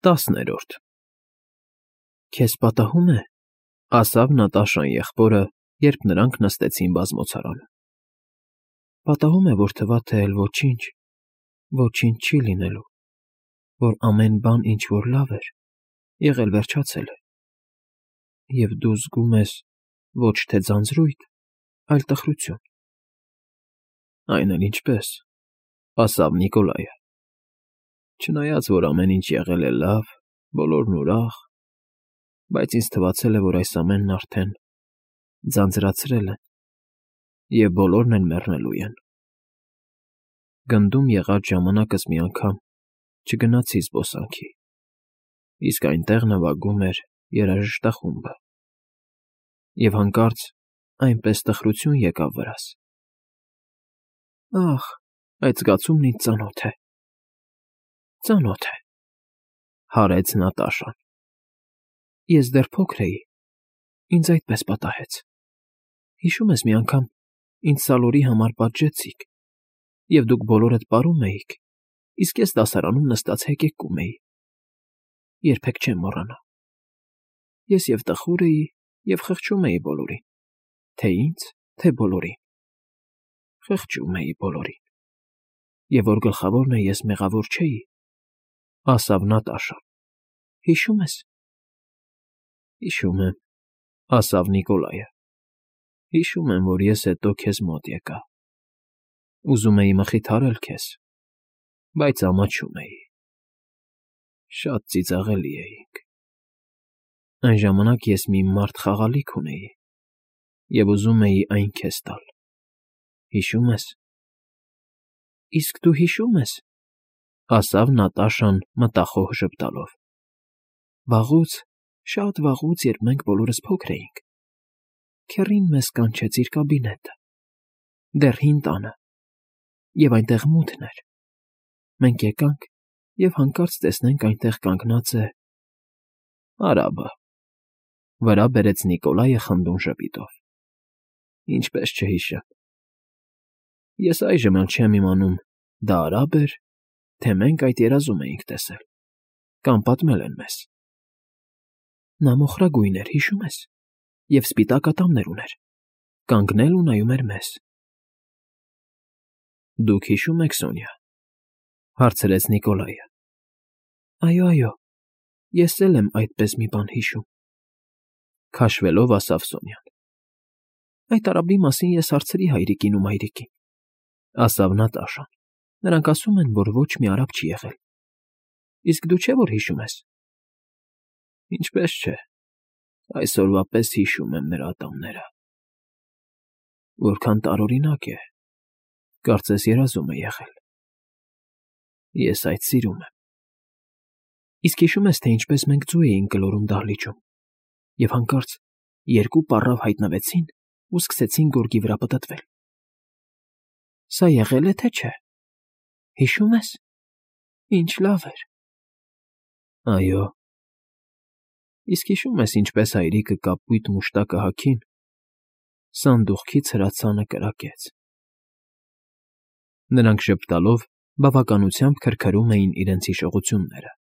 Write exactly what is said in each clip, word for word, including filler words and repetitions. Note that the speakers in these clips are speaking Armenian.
Տասներորդ Քեզ պատահում է, ասավ Նատաշան եղբորը, երբ նրանք նստեցին բազմոցարանում։ Պատահում է, որ թվա թե էլ ոչինչ, ոչինչ չի լինելու, որ ամեն բան, ինչ որ լավ էր, եղել վերջացել է, և դու զգում ես ոչ թե ձանձրույթ, այլ տխրություն։ Այն էլ ինչպես, ասավ Նիկոլայը, չնայած, որ ամեն ինչ եղել է լավ, բոլորն ուրախ, բայց ինձ թվացել է, որ այս ամենն արդեն ձանձրացրել են, և բոլորն էլ մեռնելու են։ Գնդում եղած ժամանակս մի անգամ չգնացի զբոսանքի, իսկ այնտեղ նվագում էր երաժշտախումբը, և հանկարծ այնպես տխրություն եկավ վրաս։ Ախ, այդ զգացումն ինձ ծանոթ է, ծանոթ է, հարեց Նատաշան։ Ես դեռ փոքր էի, ինձ այդպես պատահեց։ Հիշում ես մի անգամ ինձ սալորի համար պատժեցիք, և դուք բոլորդ պարում էիք, իսկ ես դասարանում նստած հեկեկում էի։ Երբեք չեմ մոռանա։ Ես և տխուր էի, և խղճում էի բոլորին, թե ինձ, թե բոլորին։ Խղճում էի բոլորին, և որ գլխավորն է, ես մեղավոր չէի, ասավ Նատաշան։ Հիշում ես։ Հիշում եմ, ասավ Նիկոլայը։ Հիշում եմ, որ ես հետո քեզ մոտ եկա։ Ուզում էի մխիթարել քեզ, բայց ամաչում էի։ Շատ ծիծաղելի էինք։ Այն ժամանակ ես մի մարդ խաղալիք ունեի, և ուզում էի այն քեզ տալ։ Հիշում ես։ Իսկ դու հիշում ես, ասավ Նատաշան մտախոհ ժպտալով։ Վաղուց, շատ վաղուց, երբ մենք բոլորս փոքր էինք, քեռին մեզ կանչեց իր կաբինետը, դեռ հին տանը, և այնտեղ մութն էր։ Մենք եկանք և հանկարծ տեսնենք այնտեղ կանգնած է… արաբը, վրա բերեց Նիկոլայը խնդուն ժպիտով։ Ինչպես չհիշեմ։ Ես այժմ էլ չեմ իմանում, դա արա՞բ էր, թե մենք այդ երազում էինք տեսել, կամ պատմել են մեզ։ Նա մոխրագույն էր, հիշում ես, և սպիտակ ատամներ ուներ, կանգնել ու նայում էր մեզ։ Դուք հիշո՞ւմ եք, Սոնյա, հարցրեց Նիկոլայը։ Այո, այո, ես էլ եմ այդպես մի բան հիշում, քաշվելով ասավ Սոնյան։ Այդ արաբի մասին ես հարցրի հայրիկին ու մայրիկին, ասավ Նատաշան։ Նրանք ասում են, որ ոչ մի արաբ չի եղել։ Իսկ դու չէ՞ որ հիշում ես։ Ինչպես չէ, այսօրվա պես հիշում եմ նրա ատամները։ Որքան տարօրինակ է, կարծես երազում է եղել։ Ես այդ սիրում եմ։ Իսկ հիշում ես, թե ինչպես մենք ձու էինք գլորում դահլիճում, և հանկարծ երկու պառավ հայտնվեցին ու սկսեցին գորգի վրա պտտվել։ Սա եղե՞լ է, թե չէ։ Հիշում ես։ Ինչ լավ էր։ Այո։ Իսկ հիշում ես, ինչպես հայրիկը կապույտ մուշտակը հագին սանդուղքից հրացանը կրակեց։ Նրանք ժպտալով բավականությամբ քրքրում էին իրենց հիշողությունները,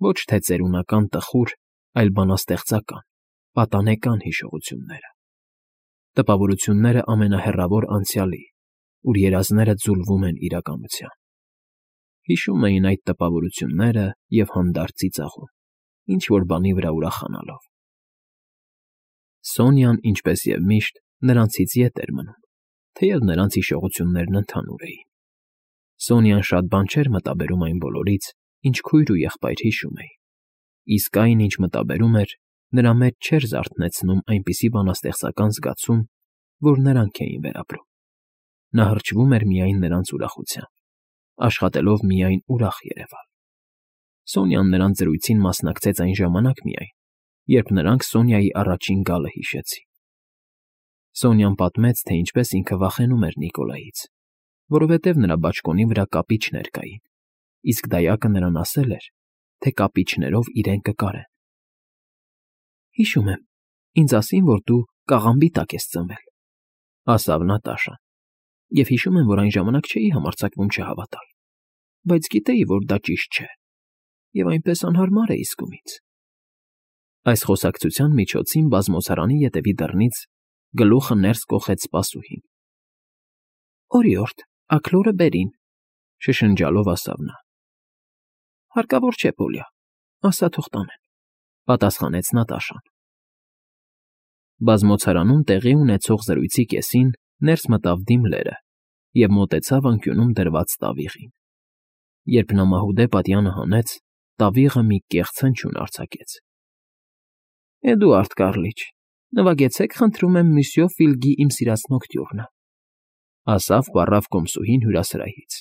ոչ թե ծերունական տխուր, այլ բանաստեղծական, պատանեկան հիշողությունները, տպավորությունները ամենահեռավոր անցյալի, ուր երազները ձուլվում են իրականության։ Հիշում էին այդ տպավորությունները և հանդարտ ծիծաղում, ինչ֊որ բանի վրա ուրախանալով։ Սոնյան, ինչպես և միշտ, նրանցից ետ էր մնում, թեև նրանց հիշողություններն ընդհանուր էին։ Սոնյան շատ բան չէր մտաբերում այն բոլորից, ինչ քույր ու եղբայր հիշում էին, իսկ այն, ինչ մտաբերում էր, նրա մեջ չէր զարթնեցնում այնպիսի բանաստեղծական զգացում, որ նրանք էին վերապրում։ Նա հրճվում էր միայն նրանց ուրախությամբ, աշխատելով միայն ուրախ երևալ։ Սոնյան նրանց զրույցին մասնակցեց այն ժամանակ միայն, երբ նրանք Սոնյայի առաջին գալը հիշեցին։ Սոնյան պատմեց, թե ինչպես ինքը վախենում էր Նիկոլայից, որովհետև նրա բաճկոնի վրա կապիչներ կային, իսկ դայակը նրան ասել էր, թե կապիչներով իրեն կկարեն։ Հիշում եմ, ինձ ասին, որ դու կաղամբի տակ ես ծնվել, ասավ Նատաշան, և հիշում եմ, որ այն ժամանակ չէի համարձակվում չհավատալ, բայց գիտեի, որ դա ճիշտ չէ։ և այնպես անհարմար է իսկումից։ Այս խոսակցության միջոցին բազմոցարանի ետևի դռնից գլուխը ներս կոխեց սպասուհին։ ֊ Օրիորդ, աքլորը բերին,֊ շշնջալով ասավ նա։ ֊ Հարկավոր չէ, Պոլիա, ասա թող տանեն,֊ պատասխանեց Նատաշան։ Բազմոցարանում տեղի ունեցող զրույցի կեսին ներս մտավ Դիմլերը և մոտեցավ անկյունում դրված տավիղին։ Երբ նա մահուդե պատյանը հանեց, տավիղը մի կեղծ հնչյուն արձակեց։ ֊ Էդուարդ Կառլիչ, նվագեցեք, խնդրում եմ, Միսյո Ֆիլգի «Իմ սիրած նոկտյուրնը»,֊ ասավ պառավ կոմսուհին հյուրասրահից։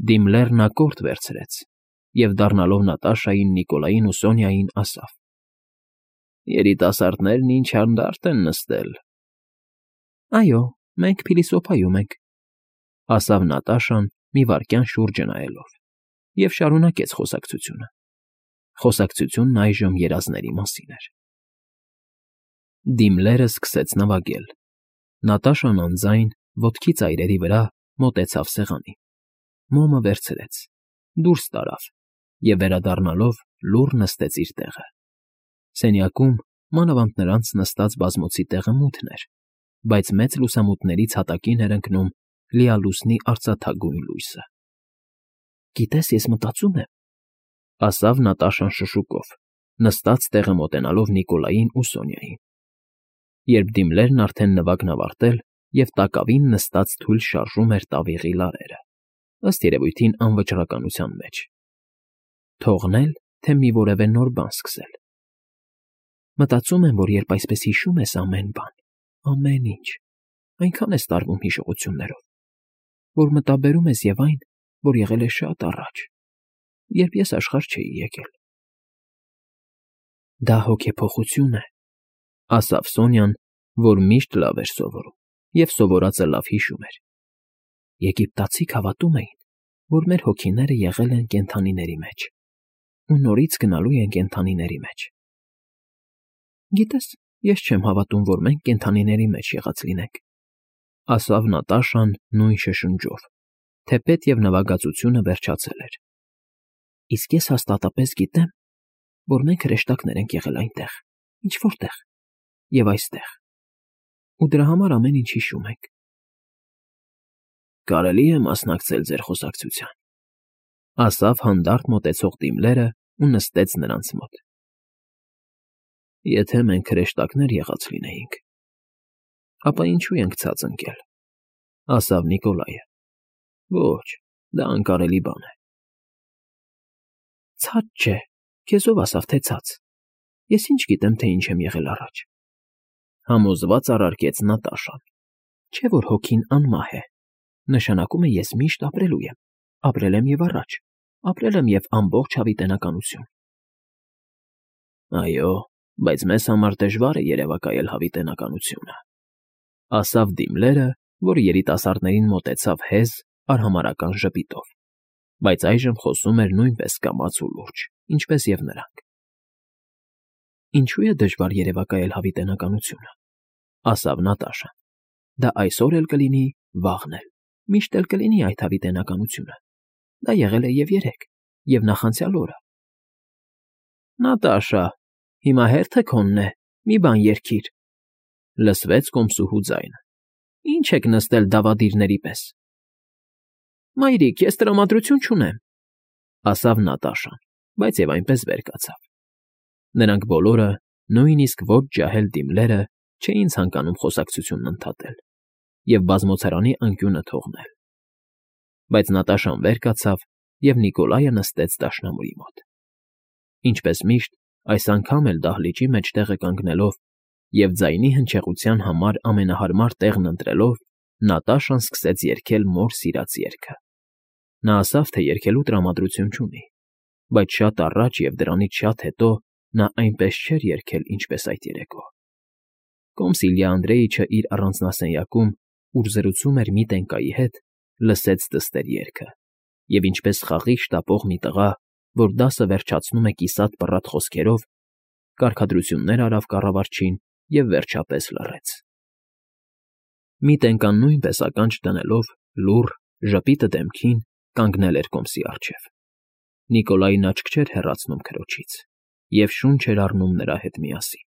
Դիմլերն ակորդ վերցրեց և, դառնալով Նատաշային, Նիկոլային ու Սոնյային, ասավ. «Երիտասարդներն ինչ հանդարտ են նստել»։ ֊ Այո, մենք փիլիսոփայում ենք,֊ ասավ Նատաշան մի վայրկյան շուրջը նայելով, և շարունակեց խոսակցությունը։ Խոսակցությունն այժմ երազների մասին էր։ Դիմլերը սկսեց նվագել։ Նատաշան անձայն, ոտքի ծայրերի վրա, մոտեցավ սեղանին, մոմը վերցրեց, դուրս տարավ և, վերադառնալով, լուռ նստեց իր տեղը։ Սենյակում, մանավանդ նրանց նստած բազմոցի տեղը մութն էր, բայց մեծ լուսամուտներից հատակին էր ընկնում լիալուսնի արծաթագույն լույսը։ ֊ Գիտես, ես մտածում եմ,֊ ասավ Նատաշան շշուկով, նստած տեղը մոտենալով Նիկոլային ու Սոնյային, երբ Դիմլերն արդեն նվագն ավարտել և տակավին նստած թույլ շարժում էր տավիղի լարերը, ըստ երևույթին անվճռականության մեջ։ Թողնել, թե մի որևէ նոր բան սկսել։ Մտածում եմ, որ երբ այսպես հիշում ես ամեն բան, ամեն ինչ, այնքան ես տարվում հիշողություններով, որ մտաբերում ես և այն, որ եղել է շատ առաջ, երբ ես աշխարհ չէի եկել։ ֊ Դա հոգեփոխություն է,֊ ասավ Սոնյան, որ միշտ լավ էր սովորում և սովորածը լավ հիշում էր։ Եգիպտացիք հավատում էին, որ մեր հոգիները եղել են կենդանիների մեջ ու նորից գնալու են կենդանիների մեջ։ Գիտես, ես չեմ հավատում, որ մենք կենդանիների մեջ եղած լինենք,֊ ասավ Նատաշան նույն շշնջով, թեպետ և նվագածությունը վերջացել էր։ Իսկ ես հաստատապես գիտեմ, որ մենք հրեշտակներ ենք եղել այնտեղ, ինչ֊որ տեղ և այստեղ, ու դրա համար ամեն ինչ հիշում ենք։ ֊ Կարելի՞ է մասնակցել ձեր խոսակցությանը,֊ ասավ հանդարտ մոտեցող Դիմլերը ու նստեց նրանց մոտ։ ֊ Եթե մենք հրեշտակներ եղած լինեինք, ապա ինչու ենք ցած ընկել,֊ ասավ Նիկոլայը։ ֊ Ոչ, դա անկարելի բան է։ ֊ Ցած չէ, քեզ ով ասավ, թե ցած։ Ես ինչ գիտեմ, թե ինչ եմ եղել առաջ,֊ համոզված առարկեց Նատաշան։ Չէ՞ որ հոգին անմահ է, նշանակում է ես միշտ ապրելու եմ, ապրել եմ և առաջ, ապրել եմ և ամբողջ հավիտենականություն։ ֊ Այո, բայց մեզ համար դժվար է երևակայել հավիտենականությունը,֊ ասավ Դիմլերը, որ երիտասարդներին մոտեցավ հեզ, արհամարհական ժպիտով, բայց այժմ խոսում էր նույնպես կամաց ու լուրջ, ինչպես և նրանք։ ֊ Ինչո՞ւ է դժվար երևակայել հավիտենականությունը,֊ ասավ Նատաշան։ Դա այսօր էլ կլինի, վաղն էլ, միշտ էլ կլինի այդ հավիտենականությունը։ Դա եղել է և երեկ, և նախանցյալ օրը։ ֊ Նատաշա, հիմա հերթը քոնն է, մի բան երգիր,֊ լսվեց կոմսուհու ձայնը։ Ինչ եք նստել դավադիրների պես։ ֊ Մայրիկ, ես տրամադրություն չունեմ,֊ ասավ Նատաշան, բայց և այնպես վեր կացավ։ Նրանք բոլորը, նույնիսկ ոչ ջահել Դիմլերը, չէին ցանկանում խոսակցությունն ընդհատել և բազմոցարանի անկյունը թողնել։ Բայց Նատաշան վեր կացավ, և Նիկոլայը նստեց դաշնամուրի մոտ։ Ինչպես միշտ, այս անգամ էլ դահլիճի մեջտեղը կանգնելով և ձայնի հնչեղության համար ամենահարմար տեղն ընտրելով, Նատաշան սկսեց երգել մոր սիրած երգը։ Նա ասավ, թե երգելու տրամադրություն չունի, բայց շատ առաջ և դրանից շատ հետո նա այնպես չէր երգել, ինչպես այդ երեկո։ Կոմս Իլյա Անդրեիչը իր առանձնասենյակում, ուր զրուցում էր Միտենկայի հետ, լսեց դստեր երգը և, ինչպես խաղի շտապող մի տղա, որ դասը վերջացնում է կիսատ֊պռատ խոսքերով, կարգադրություններ արավ կառավարչին և վերջապես լռեց։ Միտենկան նույնպես ականջ դնելով, լուռ, ժպիտը դեմքին, կանգնել էր կոմսի առջև։ Նիկոլային աչք չէր հեռացնում քրոջից և շունչ էր առնում նրա հետ միասին։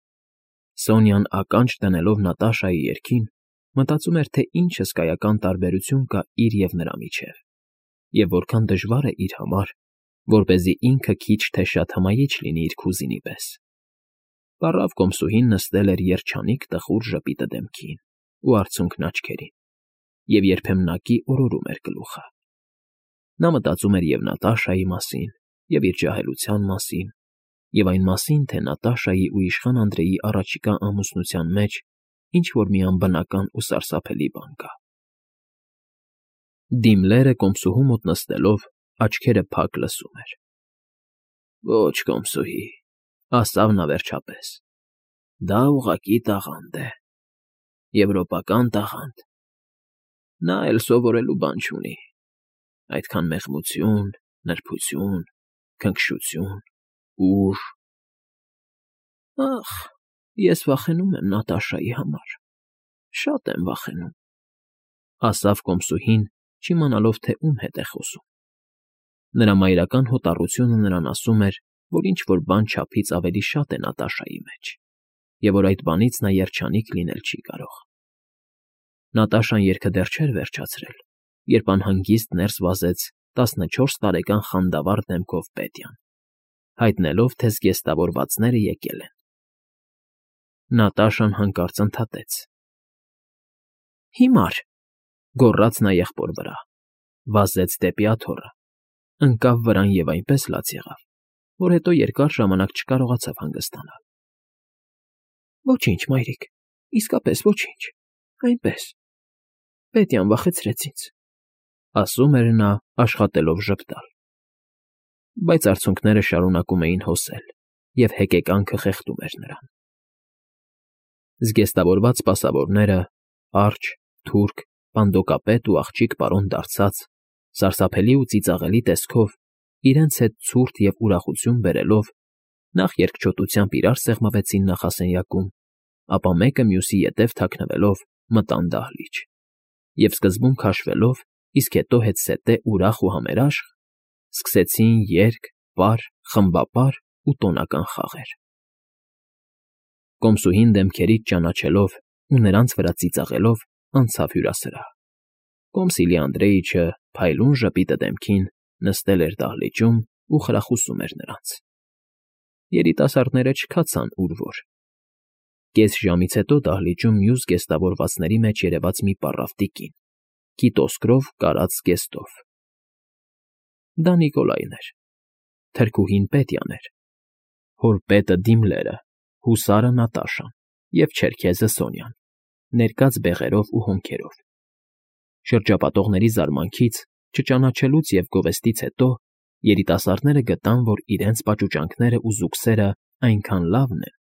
Սոնյան ականջ դնելով Նատաշայի երգին, մտածում էր, թե ինչ հսկայական տարբերություն կա իր և նրա միջև, և որքան դժվար է իր համար, որպեսզի ինքը քիչ թե շատ հմայիչ լինի իր կուզինի պես։ Պառավ կոմսուհին նստել էր երջանիկ տխուր ժպիտը դեմքին ու արցունքն աչքերին, և երբեմնակի օրորում էր գլուխը։ Նա մտածում էր և Նատաշայի մասին, և իր ջահելության մասին, և այն մասին, թե Նատաշայի ու իշխան Անդրեի առաջիկա ամուսնության մեջ ինչ֊որ մի անբնական ու սարսափելի բան կա։ Դիմլերը կոմսուհու մոտ նստելով, աչքերը փակ լսում էր։ ֊ Ո՛չ, կոմսուհի,֊ ասավ նա վերջապես,֊ դա ուղղակի տաղանդ է, եվրոպական տաղանդ, նա էլ սովորելու բան չունի, այդքան մեղմություն, նրբություն, քնքշություն, ուժ… Ախ, ես վախենում եմ Նատաշայի համար, շատ եմ վախենում,֊ ասավ կոմսուհին, չիմանալով, թե ում հետ է խոսում։ Նրա մայրական հոտառությունը նրան ասում էր, որ ինչ֊որ բան չափից ավելի շատ է Նատաշայի մեջ, և որ այդ բանից նա երջանիկ լինել չի կարող։ Նատաշան երգը դեռ չէր վերջացրել, երբ անհանգիստ ներս վազեց տասնչորս տարեկան խանդավառ դեմքով Պետյան, հայտնելով, թե զգեստավորվածները եկել են։ Նատաշան հանկարծ ընդհատեց. «Հիմար,֊ գոռաց նա եղբոր վրա, վազեց դեպի աթոռը, ընկավ վրան և այնպես լաց եղավ, որ հետո երկար ժամանակ չկարողացավ հանգստանալ։ Ոչինչ, մայրիկ, իսկապես ոչինչ, այնպես… Պետյան վախեցրեց ինձ,֊ ասում էր նա, աշխատելով ժպտալ։ Բայց արցունքները շարունակում էին հոսել, և հեկեկանքը խեղդում էր նրան։ Զգեստավորված սպասավորները, արջ, թուրք, պանդոկապետ ու աղջիկ պարոն դարձած, սարսափելի ու ծիծաղելի տեսքով, իրենց հետ ցուրտ և ուրախություն բերելով, նախ երկչոտությամբ իրար սեղմվեցին նախասենյակում, ապա մեկը մյուսի ետև թաքնվելով մտան դահլիճ և, սկզբում քաշվելով, իսկ հետո հետզհետե ուրախ ու համերաշխ, սկսեցին երգ, պար, խմբապար ու տոնական խաղեր։ Կոմսուհին դեմքերից ճանաչելով ու նրանց վրա ծիծաղելով անցավ հյուրասրահ։ Կոմսիլի Անդրեիչը, փայլուն ժպիտը դեմքին, նստել էր դահլիճում ու խրախուսում էր նրանց։ Երիտասարդները չքացան ուր որ։ Կես ժամից հետո դահլիճում մյուս զգեստավորվածների մեջ երևաց մի պառավ տիկին, կիտոսկրով կարած զգեստով։ Դա Նիկոլայն էր, թրքուհին Պետյան էր, հոր պետը Դիմլերը, հուսարը Նատաշան և չերքեզը Սոնյան, ներկած բեղերով ու հոնքերով։ Շրջապատողների զարմանքից, չճանաչելուց և գովեստից հետո երիտասարդները գտան, որ իրենց պաճուճանքներն ու զուգսերն այնքան լավն են,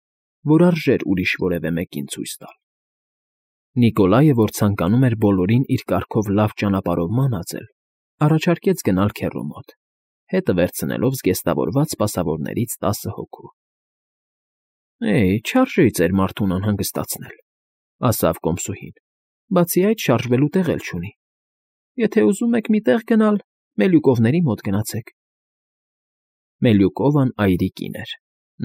որ արժեր ուրիշ որևէ մեկին ցույց տալ։ Նիկոլայը, որ ցանկանում էր բոլորին իր կարգով լավ ճանապարհով մանածել, առաջարկեց գնալ քեռու մոտ, հետը վերցնելով զգեստավորված սպասավորներից տասը հոգու։ ֊ Է՜, չարժե ձեր մարդուն անհանգստացնել,֊ ասավ կոմսուհին,֊ բացի այդ շարժվելու տեղ էլ չունի։ Եթե ուզում եք մի տեղ գնալ, Մելյուկովների մոտ գնացեք։ Մելյուկովան այրի կին էր,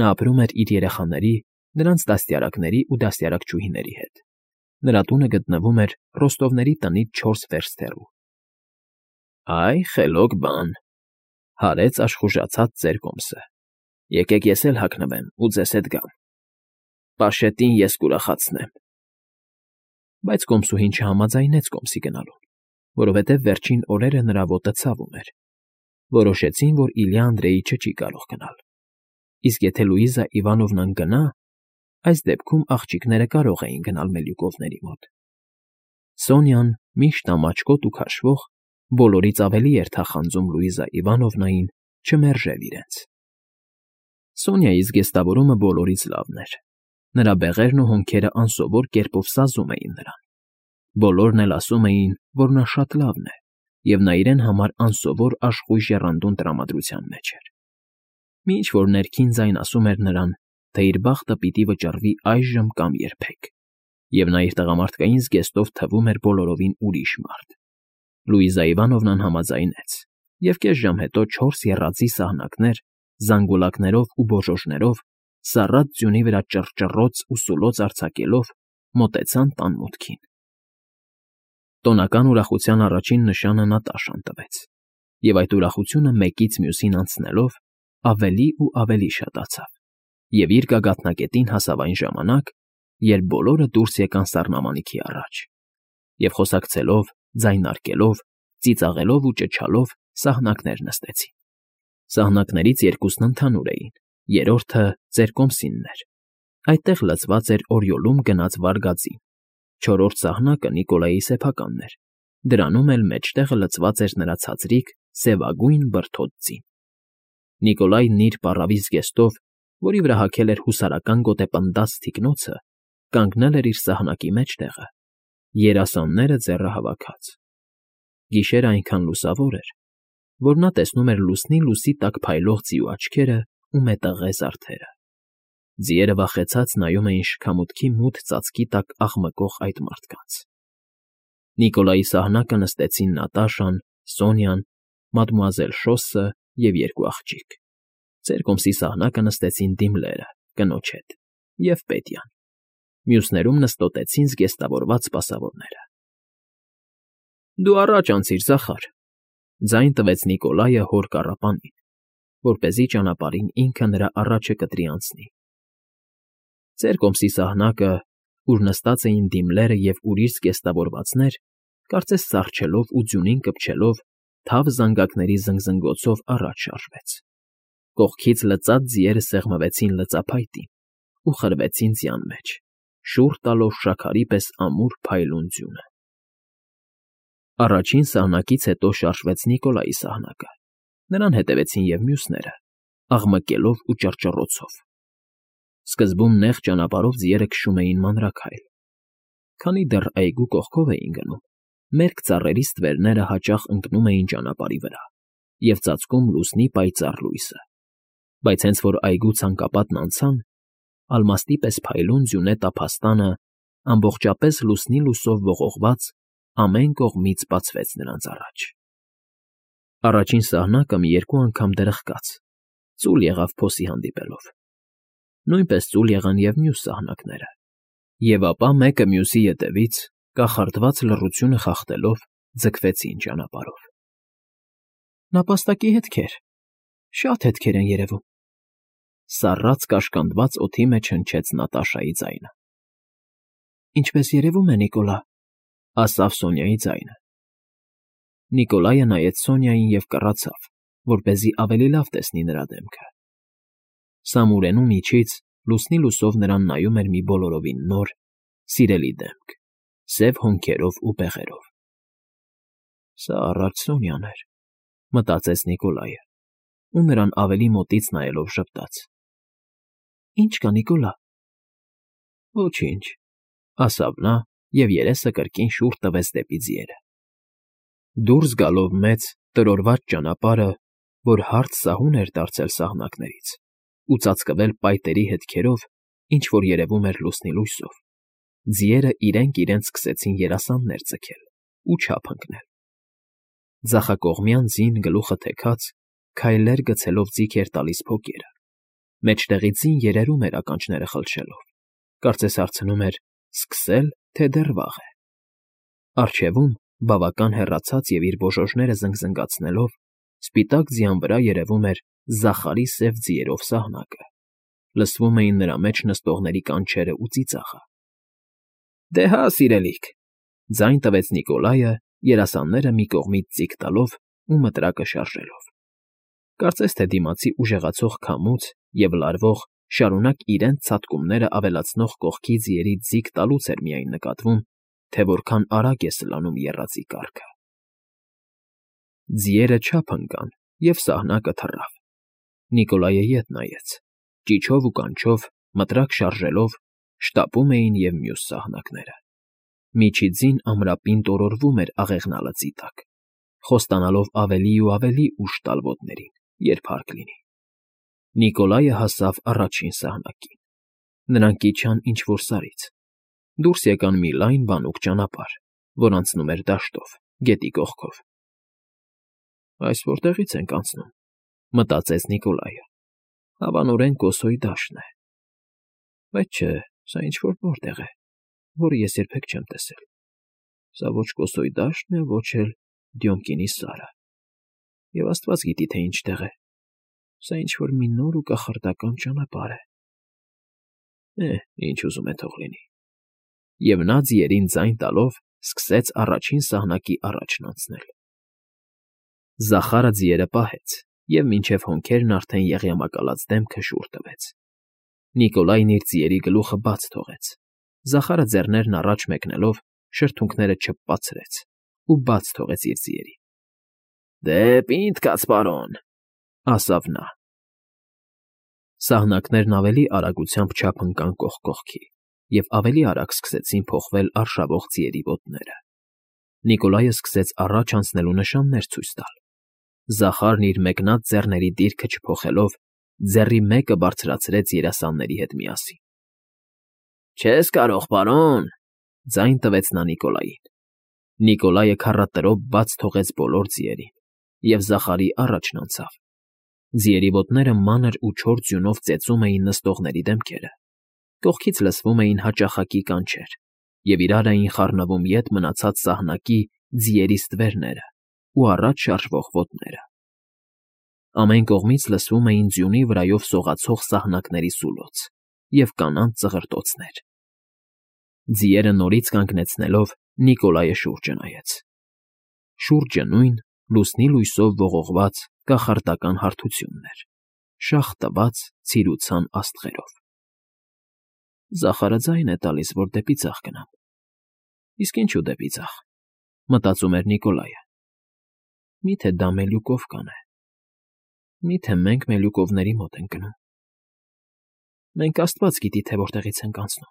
նա ապրում էր իր երեխաների, նրանց դաստիարակների ու դաստիարակչուհիների հետ։ Նրա տունը գտնվում էր Ռոստովների տնից չորս վերստ հեռու։ ֊ Այ խելոք բան,֊ հարեց աշխուժացած ծերկոմսը,֊ եկեք ես էլ հագնվեմ ու ձեզ հետ գամ։ Պաշետին ես կուրախացնեմ։ Բայց կոմսուհին չհամաձայնեց կոմսի գնալուն, որովհետև վերջին օրերը նրա ոտը ցավում էր։ Որոշեցին, որ Իլյա Անդրեիչը չի կարող գնալ, իսկ եթե Լուիզա Իվանովնան գնա, այս դեպքում աղջիկները կարող էին գնալ Մելյուկովների մոտ։ Սոնյան, միշտ ամաչկոտ ու քաշվող, բոլորից ավելի էր թախանձում Լուիզա Իվանովնային չմերժել իրենց։ Սոնյայի զգեստավորումը բոլորից լավն էր։ Նրա բեղերն ու հոնքերը անսովոր կերպով սազում էին նրան։ Բոլորն էլ ասում էին, որ նա շատ լավն է, և նա իրեն համար անսովոր աշխույժ եռանդուն տրամադրության մեջ էր։ Մի ինչ֊որ ներքին ձայն ասում էր նրան, թե իր բախտը պիտի վճռվի այժմ կամ երբեք, և նա իր տղամարդկային զգեստով թվում էր բոլորովին ուրիշ մարդ։ Լուիզա Իվանովնան համաձայնեց և կես ժամ հետո չորս եռածի սահնակներ, զանգուլակներով ու բոժոժներով, սառած ձյունի վրա ճռճռոց ու սուլոց արձակելով, մոտեցան տան մուտքին։ Տոնական ուրախության առաջին նշանը Նատաշան տվեց, և այդ ուրախությունը մեկից մյուսին անցնելով ավելի ու ավելի շատացավ, և իր գագաթնակետին հասավ այն ժամանակ, երբ բոլորը դուրս եկան սառնամանիքի առաջ, և խոսակցելով, ձայնարկելով, ծիծաղելով ու ճչալով սահնակներ նստեցին։ Սահնակներից երկուսն ընդհանուր էին, երրորդը ծեր կոմսինն էր, այդտեղ լցված էր օրիոլում գնած վարգածին, չորրորդ սահնակը Նիկոլայի սեփականն էր, դրանում էլ մեջտեղը լցված էր նրա ցածրիկ, սևագույն բրդոտ ձին։ Նիկոլայն իր պառավի զգեստով, որի վրա հագել էր հուսարական գոտեպնդած թիկնոցը, կանգնել էր իր սահնակի մեջտեղը, երասանները ձեռը հավաքած։ Գիշերն այնքան լուսավոր էր, որ նա տեսնում էր լուսնի լույսի տակ փայլող ձիու աչքերը ու մետաղե զարդերը։ Ձիերը վախեցած նայում էին շքամուտքի մութ ծածկի տակ աղմկող այդ մարդկանց։ Նիկոլայի սահնակը նստեցին Նատաշան, Սոնյան, մադմուազել Շոսը և երկու աղջիկ։ Ծեր կոմսի սահնակը նստեցին դիմլերը, կնոջ հետ, և Պետյան։ Մյուսներում նստոտեցին զգեստավորված սպասավորները։ Դու առաջ անցիր, Զախար,֊ ձայն տվեց Նիկոլայը հոր կառապանին, որպեսզի ճանապարհին ինքը նրա առաջը կտրի անցնի։ Ծեր կոմսի սահնակը, ուր նստած էին դիմլերը և ուրիշ զգեստավորվածներ, կարծես սառչելով ու ձյունին կպչելով, թավ զանգակների զնգզնգոցով առաջ շարժվեց։ Կողքից լծած ձիերը սեղմվեցին լծափայտին ու խրվեցին ձյան մեջ, շուռ տալով շաքարի պես ամուր փայլուն ձյունը։ Առաջին սահնակից հետո շարժվեց Նիկոլայի սահնակը, նրան հետևեցին և մյուսները, աղմկելով ու ճռճռոցով։ Սկզբում նեղ ճանապարհով ձիերը քշում էին մանրաքայլ։ Քանի դեռ այգու կողքով էին գնում, մերկ ծառերի ստվերները հաճախ ընկնում էին ճանապարհի վրա և ծածկում լուսնի պայծառ լույսը, բայց հենց որ այգու ցանկապատն անցան, ալմաստի պես փայլուն ձյունե տափաստանը, ամբողջապես լուսնի լույսով ողողված, ամեն կողմից բացվեց նրանց առաջ։ Առաջին սահնակը մի երկու անգամ դրխկաց, ծուլ եղավ փոսի հանդիպելով։ Նույնպես ծուլ եղան և մյուս սահնակները, և ապա մեկը մյուսի ետևից, կախարդված լռությունը խախտելով, ձգվեցին ճանապարհով։ Նապաստակի հետքեր, շատ հետքեր են երևում,֊ սառած կաշկանդված օդի մեջ հնչեց Նատաշայի ձայնը։ Ինչպես երևում է, Նիկոլա,֊ ասավ Սոնյայի ձայնը։ Նիկոլայը նայեց Սոնյային և կռացավ, որպեսզի ավելի լավ տեսնի նրա դեմքը։ Սամուրենու միջից լուսնի լուսով նրան նայում էր մի բոլորովին նոր, սիրելի դեմք, սև հոնքերով ու բեղերով։ «Սա առաջ Սոնյան էր,֊ մտածեց Նիկոլայը ու նրան ավելի մոտից նայելով ժպտաց։ Ի՞նչ կա, Նիկոլա»։ Ոչինչ,֊ ասավ նա և երեսը կրկին շուռ տվեց դեպի ձիերը։ Դուրս գալով մեծ, տրորված ճանապարհը, որ հարթ սահուն էր դարձել սահնակներից ու ծածկվել պայտերի հետքերով, ինչ֊որ երևում էր լուսնի լույսով, ձիերը իրենք իրենց սկսեցին երասաններ ձգել ու չափ ընկնել։ Ձախակողմյան ձին գլուխը թեքած, քայլեր գցելով ձիգ էր տալիս փոկերը, մեջտեղի ձին երերում էր ականջները խլչելով, կարծես հարցնում էր՝ սկսե՞լ, թե դեռ վաղ է։ Առջևում, բավական հեռացած և իր բոժոժները զնգզնգացնելով, սպիտակ ձյան վրա երևում էր Զախարի սև ձիերով սահնակը, լսվում էին նրա մեջ նստողների կանչերը ու ծիծաղը։ Դե հա, սիրելիք,֊ ձայն տվեց Նիկոլայը, երասանները մի կողմից ձիգ տալով ու մտրակը շարժելով։ Կարծես թե դիմացի ուժեղացող քամուց և լարվող, շարունակ իրենց ցատկումները ավելացնող կողքի ձիերի ձիգ տալուց էր միայն նկատվում, թե որքան արագ է սլանում եռածի կառքը։ Ձիերը չափ ընկան, և սահնակը թռավ։ Նիկոլայը ետ նայեց, ճիչով ու կանչով, մտրակ շարժելով, շտապում էին և մյուս սահնակները։ Միջիձին ամրապին տորորվում էր աղեղնալծի տակ, խոստանալով ավելի ու ավելի ուժ տալ ոտներին, երբ հարկ լինի։ Նիկոլայը հասավ առաջին սահնակին։ Նրանք իջան ինչ֊որ սարից, դուրս եկան մի լայն բանուկ ճանապարհ, որ անցնում էր դաշտով, գետի կողքով։ Այս որտեղից ենք անցնում, մտածեց Նիկոլայը, հավանորեն Կոսոյի դաշտն է, բայց չէ, սա ինչ֊որ նոր տեղ է, որը ես երբեք չեմ տեսել, սա ոչ Կոսոյի դաշտն է, ոչ էլ Դյոմկինի Սարը, և աստված գիտի, թե ինչ տեղ է, սա ինչ֊որ մի նոր ու կախարդական ճանապարհ է, է, ինչ ուզում է թող լինի, և նա ձիերին ձայն տալով սկսեց առաջին սահնակի առաջն անցնել. Զախարը ձիերը պահեց և մինչև հոնքերն արդեն եղյամակալած դեմքը շուռ տվեց. Նիկոլայն իր ձիերի գլուխը բաց թողեց, Զախարը ձեռներն առաջ մեկնելով շրթունքները չպպացրեց ու բաց թողեց իր ձիերին։ ֊ Դե պինդ կաց, պարոն,֊ ասավ նա։ Սահնակներն ավելի արագությամբ չափ ընկան կողք կողքի, և ավելի արագ սկսեցին փոխվել արշավող ձիերի ոտները։ Նիկոլայը սկսեց առաջ անցնելու նշաններ ցույց տալ։ Զախարն իր մեկնած ձեռների դիրքը չփոխելով, ձեռի մեկը բարձրացրեց երասանների հետ միասին։ ֊ Չես կարող, պարոն,֊ ձայն տվեց նա Նիկոլային։ Նիկոլայը քառատրով բաց թողեց բոլոր ձիերին և Զախարի առաջն անցավ։ Ձիերի ոտները մանր ու չոր ձյունով ծեծում էին նստողների դեմքերը, կողքից լսվում էին հաճախակի կանչեր, և իրար էին խառնվում ետ մնացած սահնակի ձիերի ստվերները ու առաջ շարժվող ոտները։ Ամեն կողմից լսվում էին ձյունի վրայով սողացող սահնակների սուլոց և կանանց ծղրտոցներ։ Ձիերը նորից կանգնեցնելով՝ Նիկոլայը շուրջը նայեց։ Շուրջը նույն, լուսնի լույսով ողողված կախարդական հարթությունն էր, շաղ տված ցիրուցան աստղերով։ Զախարը ձայն է տալիս, որ դեպի ձախ գնամ։ Իսկ ինչու դեպի ձախ, մտածում էր Նիկոլայը։ Մի՞թե դա Մելյուկովկան է։ Մի՞թե մենք Մելյուկովների մոտ ենք գնում։ Մենք աստված գիտի, թե որտեղից ենք անցնում,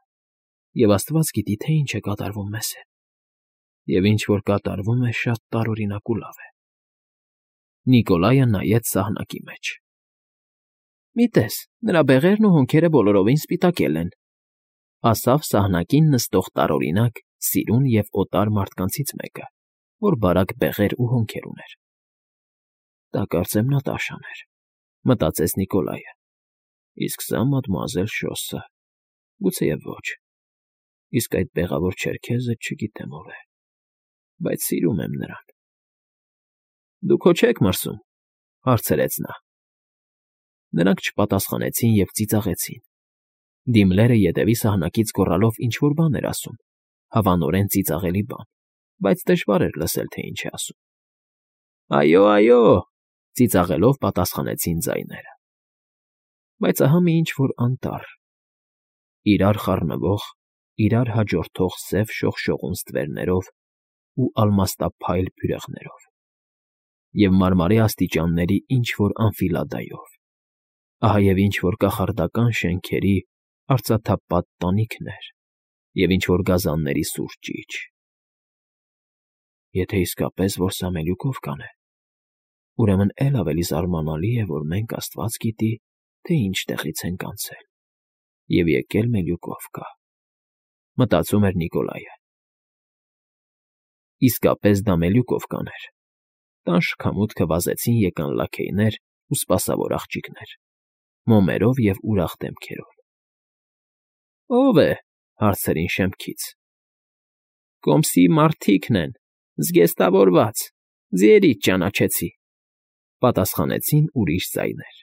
և աստված գիտի, թե ինչ է կատարվում մեզ հետ, և ինչ որ կատարվում է, շատ տարօրինակ ու լավ է։ Նիկոլայը նայեց սահնակի մեջ։ ֊ Մի տես, նրա բեղերն ու հոնքերը բոլորովին սպիտակել են,֊ ասավ սահնակին նստող տարօրինակ, սիրուն և օտար մարդկանցից մեկը, որ բարակ բեղեր ու հոնքեր ուներ։ «Դա կարծեմ Նատաշան էր,֊ մտածեց Նիկոլայը,֊ իսկ սա մադմուազել Շոսը, գուցեև ոչ, իսկ այդ բեղավոր չերքեզը չգիտեմ ով է, բայց սիրում եմ նրան»։ ֊ Դուք հո չե՞ք մրսում,֊ հարցրեց նա։ Նրանք չպատասխանեցին և ծիծաղեցին։ Դիմլերը ետևի սահնակից գոռալով ինչ֊որ բան էր ասում, հավանորեն ծիծաղելի բան, բայց դժվար էր լսել, թե ինչ է ասում։ ֊ Այո, այո,֊ ծիծաղելով պատասխանեցին ձայները։ Բայց ահա մի ինչ֊որ անտառ, իրար խառնվող, իրար հաջորդող սև շողշողուն ստվերներով ու ալմաստափայլ բյուրեղներով, և մարմարե աստիճանների ինչ֊որ անֆիլադայով, ահա և ինչ֊որ կախարդական շենքերի արծաթապատ տանիքներ և ինչ֊որ գազանների սուր ճիչ։ Եթե իսկապես որ սա Մելյուկովկան է, ուրեմն էլ ավելի զարմանալի է, որ մենք աստված գիտի, թե ինչ տեղից ենք անցել և եկել Մելյուկովկա, մտածում էր Նիկոլայը։ Իսկապես դա Մելյուկովկան էր։ Տան շքամուտքը վազեցին եկան լաքեյներ ու սպասավոր աղջիկներ՝ մոմերով և ուրախ դեմքերով։ ֊ Ո՞վ է,֊ հարցրին շեմքից։ ֊ Կոմսի մարդիկն են, զգեստավորված, ձիերից ճանաչեցի,֊ պատասխանեցին ուրիշ ձայներ։